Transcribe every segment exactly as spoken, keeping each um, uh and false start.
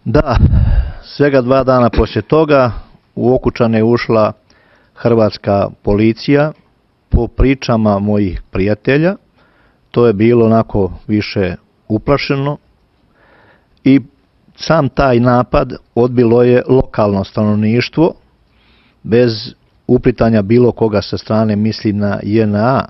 Da, svega dva dana poslije toga u Okučane je ušla hrvatska policija. Po pričama mojih prijatelja to je bilo onako više uplašeno i sam taj napad odbilo je lokalno stanovništvo bez uplitanja bilo koga sa strane, mislim na J N A,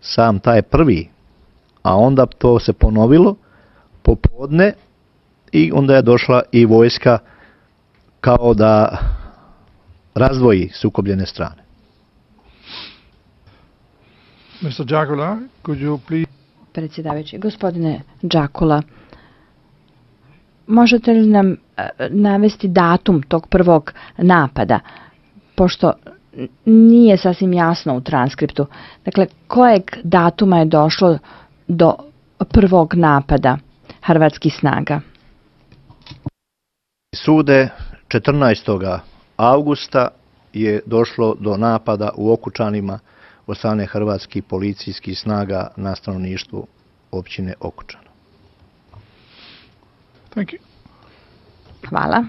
sam taj prvi, a onda to se ponovilo popodne i onda je došla i vojska kao da razdvoji sukobljene strane. mister Đakula, could you please... Predsjedavajući, gospodine Đakula, možete li nam navesti datum tog prvog napada, pošto nije sasvim jasno u transkriptu. Dakle, kojeg datuma je došlo do prvog napada hrvatskih snaga? Sude četrnaestog avgusta je došlo do napada u Okučanima od strane hrvatskih policijskih snaga na stanovništvu općine Okučana. Thank you. Hvala.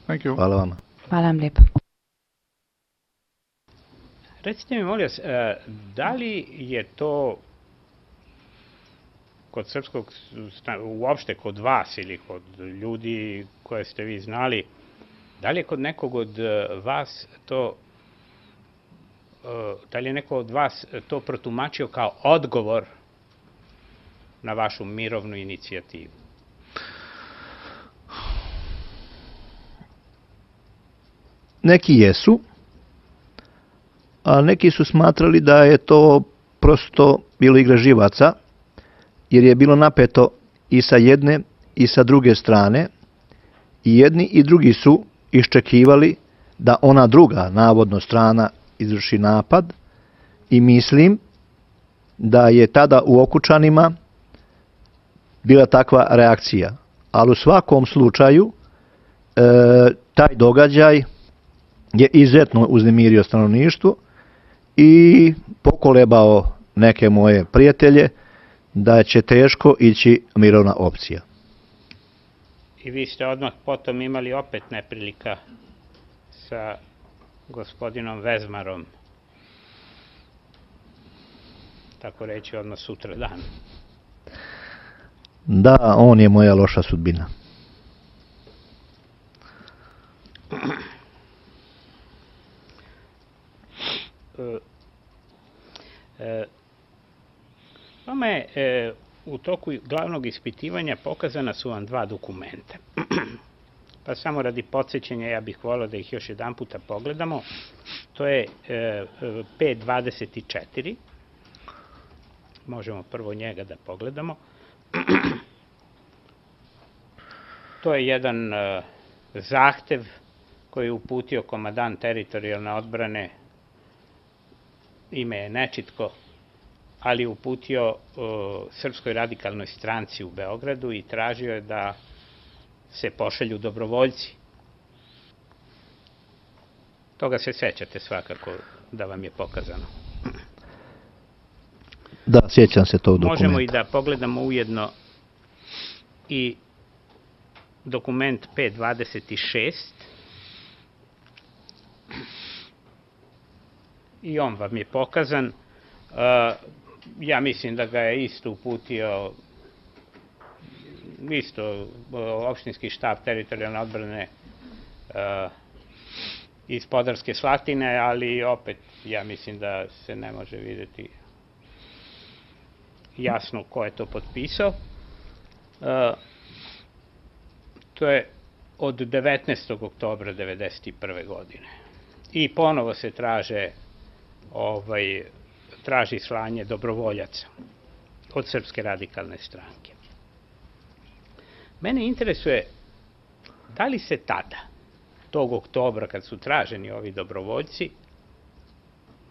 Thank you. Hvala vama. Hvala vam lijepo. Recite mi, molim vas, da li je to kod srpskog, uopšte kod vas ili kod ljudi koje ste vi znali, da li je kod nekog od vas to, da li je neko od vas to protumačio kao odgovor na vašu mirovnu inicijativu? Neki jesu, a neki su smatrali da je to prosto bilo igra živaca, jer je bilo napeto i sa jedne i sa druge strane, i jedni i drugi su iščekivali da ona druga, navodno strana, izvrši napad, i mislim da je tada u Okučanima bila takva reakcija. Ali u svakom slučaju e, taj događaj je izuzetno uznemirio stanovništvo i pokolebao neke moje prijatelje da će teško ići mirovna opcija. I vi ste odmah potom imali opet neprilika sa gospodinom Vezmarom, tako reći odmah sutra dan. Da, on je moja loša sudbina. Vama je e, u toku glavnog ispitivanja pokazana su vam dva dokumenta. Pa samo radi podsjećanja ja bih volio da ih još jedan puta pogledamo. To je e, P dvadeset četiri. Možemo prvo njega da pogledamo. To je jedan e, zahtev koji je uputio komandant teritorijalne odbrane, ime je nečitko, ali je uputio uh, Srpskoj radikalnoj stranci u Beogradu i tražio je da se pošalju dobrovoljci. Toga se sećate svakako da vam je pokazano. Da, sjećam se tog dokumenta. Možemo i da pogledamo ujedno i dokument P dvadeset šest. I on vam je pokazan. Ja mislim da ga je isto uputio isto opštinski štab teritorijalne odbrane iz Podarske Slatine, ali opet ja mislim da se ne može vidjeti jasno ko je to potpisao. To je od devetnaestog oktobra devedeset prve godine. I ponovo se traže ovaj, traži slanje dobrovoljaca od Srpske radikalne stranke. Mene interesuje da li se tada, tog oktobra kad su traženi ovi dobrovoljci,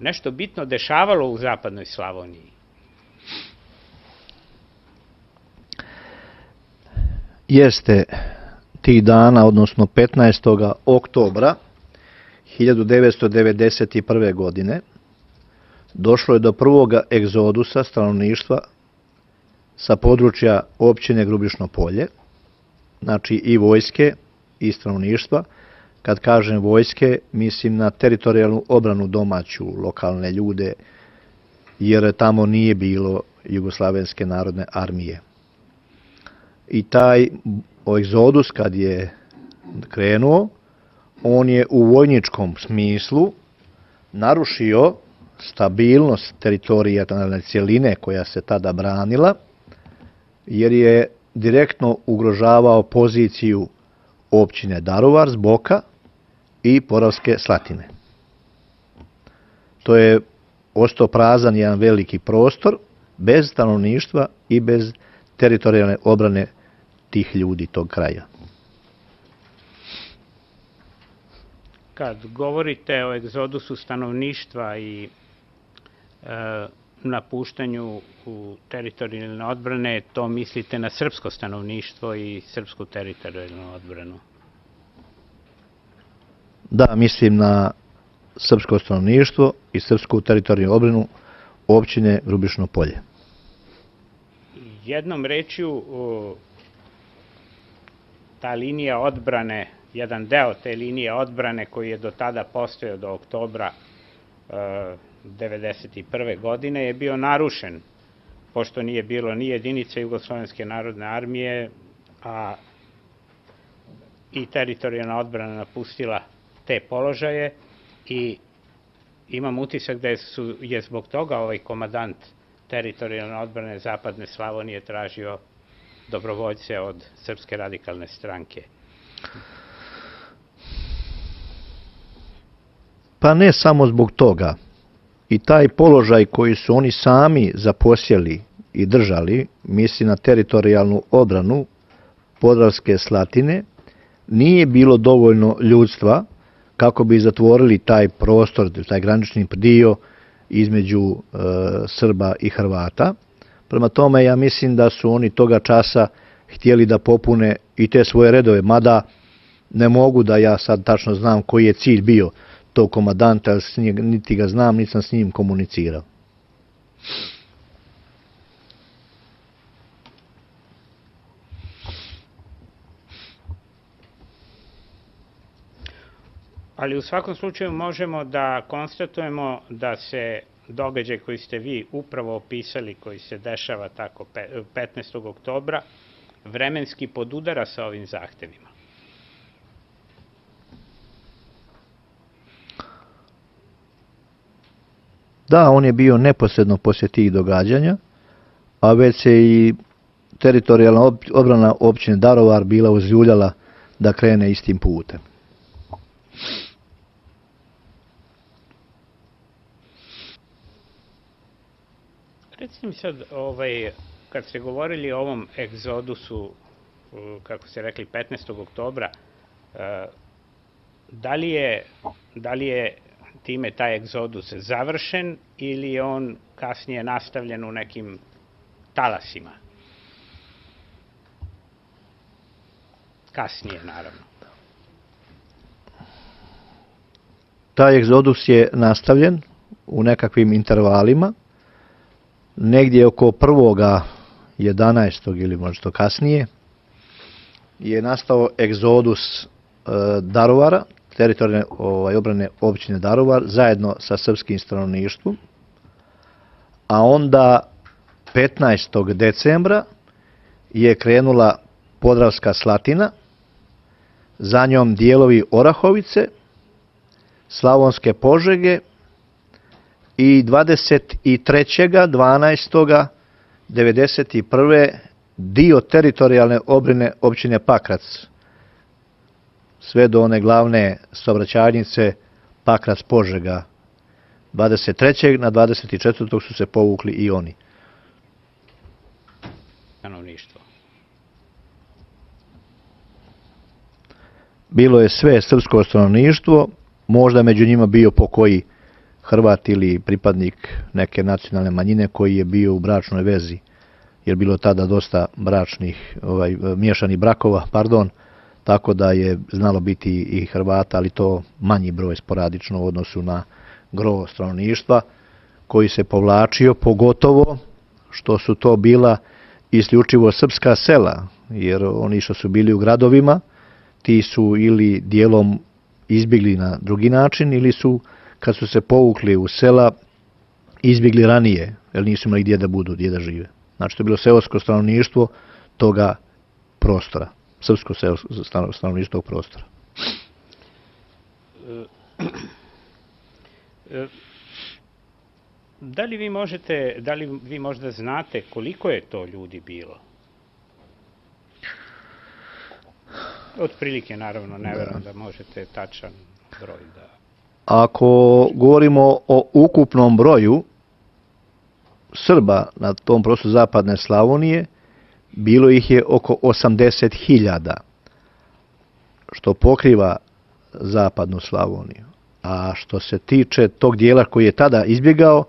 nešto bitno dešavalo u zapadnoj Slavoniji? Jeste, tih dana, odnosno petnaestog oktobra hiljadu devetsto devedeset prve. godine došlo je do prvog egzodusa stanovništva sa područja općine Grubišno Polje znači i vojske i stanovništva. Kad kažem vojske, mislim na teritorijalnu obranu domaću, lokalne ljude, jer tamo nije bilo Jugoslavenske narodne armije. I taj egzodus kad je krenuo, on je u vojničkom smislu narušio stabilnost teritorijalne cjeline koja se tada branila, jer je direktno ugrožavao poziciju općine Daruvar s boka i Podravske Slatine. To je ostao prazan jedan veliki prostor, bez stanovništva i bez teritorijalne obrane tih ljudi tog kraja. Kad govorite o egzodusu stanovništva i e, napuštanju u teritorijalne odbrane, to mislite na srpsko stanovništvo i srpsku teritorijalnu odbranu? Da, mislim na srpsko stanovništvo i srpsku teritorijalnu odbranu općine Grubišno Polje. Jednom rečju, ta linija odbrane, jedan deo te linije odbrane koji je do tada postojao do oktobra devedeset prve godine je bio narušen, pošto nije bilo ni jedinice Jugoslovenske narodne armije, a i teritorijalna odbrana napustila te položaje i imam utisak da je zbog toga ovaj komandant teritorijalne odbrane Zapadne Slavonije tražio dobrovoljce od Srpske radikalne stranke. Pa ne samo zbog toga. I taj položaj koji su oni sami zaposjeli i držali, misli na teritorijalnu odbranu Podravske Slatine, nije bilo dovoljno ljudstva kako bi zatvorili taj prostor, taj granični dio između e, Srba i Hrvata. Prema tome, ja mislim da su oni toga časa htjeli da popune i te svoje redove, mada ne mogu da ja sad tačno znam koji je cilj bio tog komandanta, niti ga znam, niti sam s njim komunicirao. Ali u svakom slučaju možemo da konstatujemo da se događaj koji ste vi upravo opisali, koji se dešava tako petnaestog oktobra, vremenski podudara sa ovim zahtevima. Da, on je bio neposredno poslije tih događanja, a već se i teritorijalna odbrana općine Daruvar bila uzljuljala da krene istim putem. Recimo sad, ovaj, kad ste govorili o ovom egzodusu, kako ste rekli, petnaestog oktobra, da li je, da li je time taj egzodus završen ili je on kasnije nastavljen u nekim talasima? Kasnije, naravno. Taj egzodus je nastavljen u nekakvim intervalima. Negdje oko prvoga jedanaestog ili možda kasnije je nastao egzodus e, Daruvara, teritorijalne ovaj, obrane općine Daruvar, zajedno sa srpskim stanovništvom. A onda petnaestog decembra je krenula Podravska Slatina, za njom dijelovi Orahovice, Slavonske Požege i dvadeset trećeg dvanaestog devedeset prve dio teritorijalne obrane općine Pakrac, sve do one glavne saobraćajnice Pakrac Požega. dvadeset trećeg na dvadeset četvrtog su se povukli i oni. Stanovništvo. Bilo je sve srpsko stanovništvo, možda među njima bio pokoji Hrvat ili pripadnik neke nacionalne manjine koji je bio u bračnoj vezi, jer bilo tada dosta bračnih, ovaj, miješanih brakova, pardon, tako da je znalo biti i Hrvata, ali to manji broj sporadično u odnosu na gro stanovništva koji se povlačio, pogotovo što su to bila isključivo srpska sela, jer oni što su bili u gradovima, ti su ili dijelom izbjegli na drugi način, ili su, kad su se povukli u sela, izbjegli ranije, jer nisu imali gdje da budu, gdje da žive. Znači, to je bilo seosko stanovništvo toga prostora, srpsko stanovništvo tog prostora. Da li vi možete, da li vi možda znate koliko je to ljudi bilo? Otprilike, naravno, ne verujem da možete tačan broj da... Ako govorimo o ukupnom broju Srba na tom prostoru zapadne Slavonije, bilo ih je oko osamdeset hiljada, što pokriva zapadnu Slavoniju. A što se tiče tog dijela koji je tada izbjegao,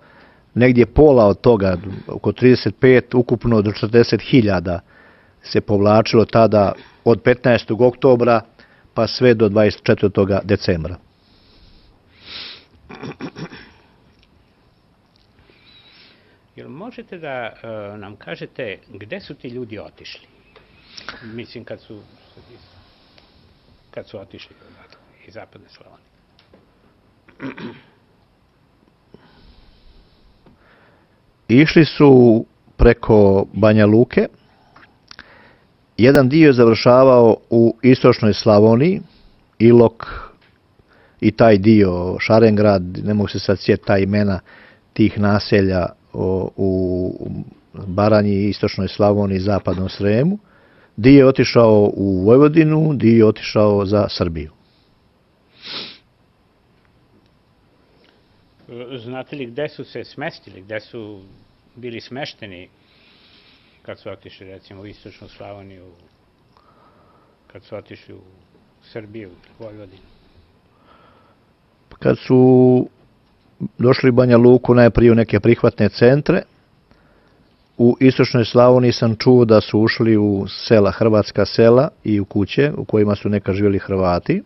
negdje pola od toga, oko trideset pet, ukupno do četrdeset hiljada se povlačilo tada od petnaestog oktobra pa sve do dvadeset četvrtog decembra. Jel možete da uh, nam kažete gde su ti ljudi otišli? Mislim, kad su, kad su otišli iz zapadne Slavonije. Išli su preko Banja Luke. Jedan dio je završavao u istočnoj Slavoniji, Ilok i taj dio, Šarengrad, ne mogu se sad sjetiti ta imena tih naselja o, u Baranji, istočnoj Slavoniji, zapadnom Sremu. Dio je otišao u Vojvodinu, dio je otišao za Srbiju. Znate li gde su se smestili, gde su bili smešteni kad su otišli, recimo, u istočnu Slavoniju, kad su otišli u Srbiju, Vojvodinu? Kad su došli u Banja Luku, najprije u neke prihvatne centre, u istočnoj Slavoniji sam čuo da su ušli u sela, hrvatska sela i u kuće u kojima su nekad živjeli Hrvati.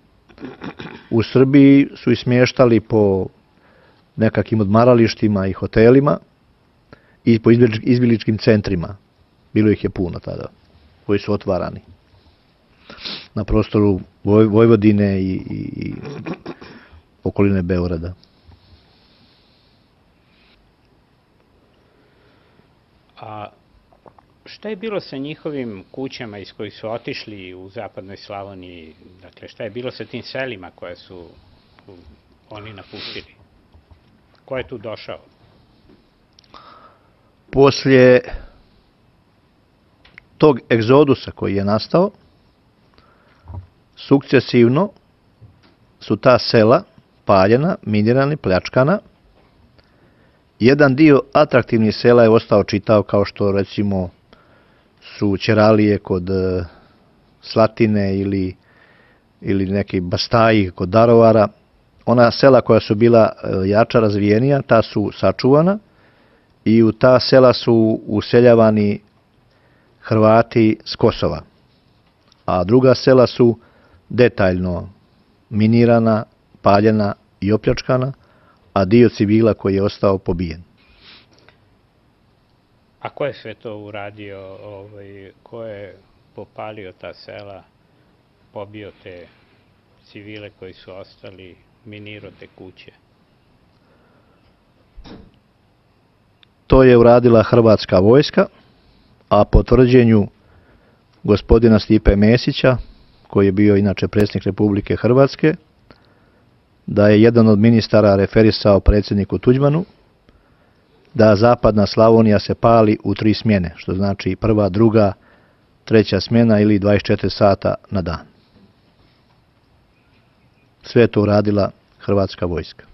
U Srbiji su ih smještali po nekakvim odmaralištima i hotelima i po izbjegličkim centrima. Bilo ih je puno tada, koji su otvarani na prostoru Vojvodine i, i, i okoline Beograda. A šta je bilo sa njihovim kućama iz kojih su otišli u zapadnoj Slavoniji? Dakle, šta je bilo sa tim selima koje su oni napustili? Ko je tu došao? Poslije tog egzodusa koji je nastao, sukcesivno su ta sela paljena, minirana, pljačkana. Jedan dio atraktivnih sela je ostao čitav, kao što recimo su Ćeralije kod Slatine ili, ili neki Bastaji kod Darovara. Ona sela koja su bila jača, razvijenija, ta su sačuvana i u ta sela su useljavani Hrvati s Kosova. A druga sela su detaljno minirana, paljena i opljačkana, a dio civila koji je ostao pobijen. A ko je sve to uradio? Ovaj, ko je popalio ta sela, pobio te civile koji su ostali, minirao te kuće? To je uradila hrvatska vojska, a po tvrđenju gospodina Stipe Mesića, koji je bio inače predsjednik Republike Hrvatske, da je jedan od ministara referisao predsjedniku Tuđmanu da zapadna Slavonija se pali u tri smjene, što znači prva, druga, treća smjena ili dvadeset četiri sata na dan. Sve je to uradila hrvatska vojska.